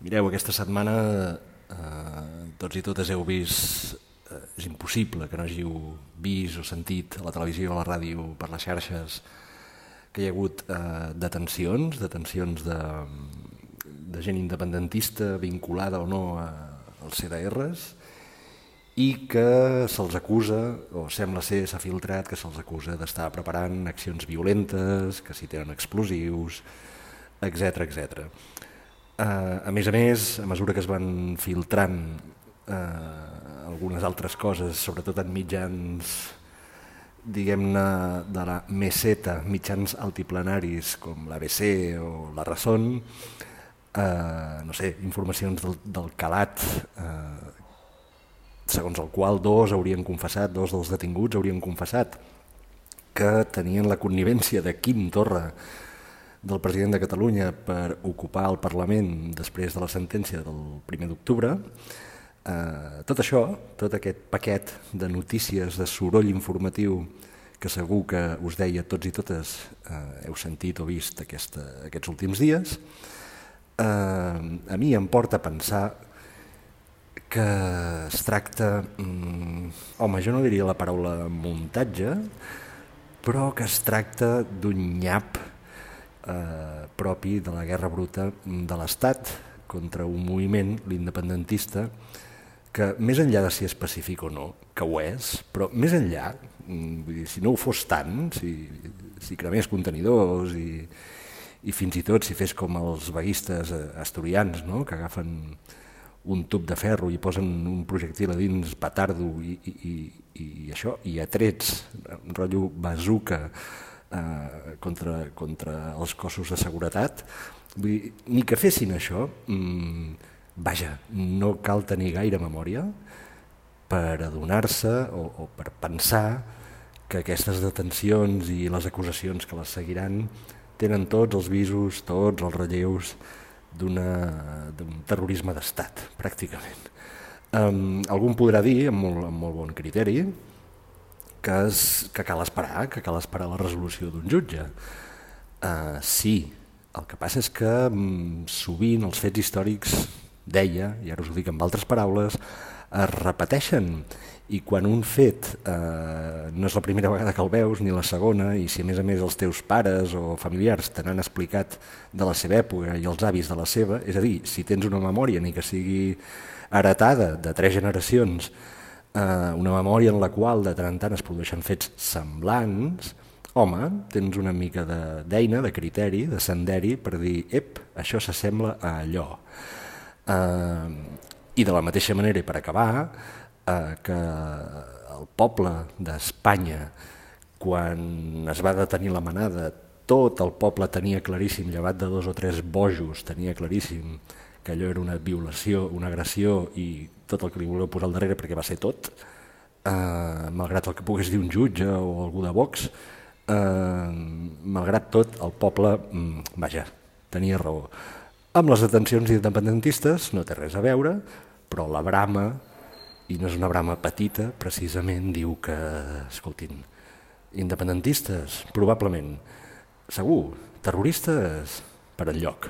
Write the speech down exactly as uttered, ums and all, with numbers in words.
Mireu, aquesta setmana eh, tots i totes heu vist, eh, és impossible que no hàgiu vist o sentit a la televisió o a la ràdio per les xarxes que hi ha hagut eh, detencions, detencions de, de gent independentista vinculada o no a, als C D Rs i que se'ls acusa, o sembla ser, s'ha filtrat, que se'ls acusa d'estar preparant accions violentes, que si tenen explosius, etcètera, etcètera. Uh, a més a més, a mesura que es van filtrant uh, algunes altres coses, sobretot en mitjans, diguem-ne, de la meseta, mitjans altiplanaris com l'A B C o la Razón, uh, no sé, informacions del, del calat, uh, segons el qual dos haurien confessat, dos dels detinguts haurien confessat que tenien la connivència de Quim Torra, del president de Catalunya, per ocupar el Parlament després de la sentència del primer d'octubre. Eh, tot això, tot aquest paquet de notícies, de soroll informatiu que segur que us deia tots i totes eh, heu sentit o vist aquesta, aquests últims dies, eh, a mi em porta a pensar que es tracta, mm, home, jo no diria la paraula muntatge, però que es tracta d'un nyap eh, propi de la guerra bruta de l'Estat contra un moviment, l'independentista, que més enllà de si és pacífic o no, que ho és, però més enllà, vull dir, si no ho fos tant, si, si cremés contenidors i, i fins i tot si fes com els vaguistes asturians, no?, que agafen un tub de ferro i posen un projectil a dins petardo i, i, i, i això, i a trets, un rotllo bazuca eh, contra, contra els cossos de seguretat, vull dir, ni que fessin això, mmm, vaja, no cal tenir gaire memòria per adonar-se o, o per pensar que aquestes detencions i les acusacions que les seguiran tenen tots els visos, tots els relleus d'un terrorisme d'estat, pràcticament. Um, algú em podrà dir, amb molt, amb molt bon criteri, que, es, que cal esperar, que cal esperar la resolució d'un jutge. Uh, sí, el que passa és que um, sovint els fets històrics, deia, i ara us ho dic amb altres paraules, es repeteixen, i quan un fet eh, no és la primera vegada que el veus ni la segona, i si a més a més els teus pares o familiars te n'han explicat de la seva època i els avis de la seva, és a dir, si tens una memòria ni que sigui heretada de tres generacions, eh, una memòria en la qual de tant en tant es produeixen fets semblants, home, tens una mica d'eina, de, de criteri, de senderi per dir, ep, això s'assembla a allò. Eh, I de la mateixa manera, i per acabar, eh, que el poble d'Espanya, quan es va detenir la manada, tot el poble tenia claríssim, llevat de dos o tres bojos, tenia claríssim que allò era una violació, una agressió i tot el que li voleu posar al darrere, perquè va ser tot, eh, malgrat el que pogués dir un jutge o algú de Vox, eh, malgrat tot el poble, mm, vaja, tenia raó. Amb les detencions independentistes no té res a veure, però la brama, i no és una brama petita, precisament diu que, escoltin, independentistes, probablement, segur, terroristes, per enlloc.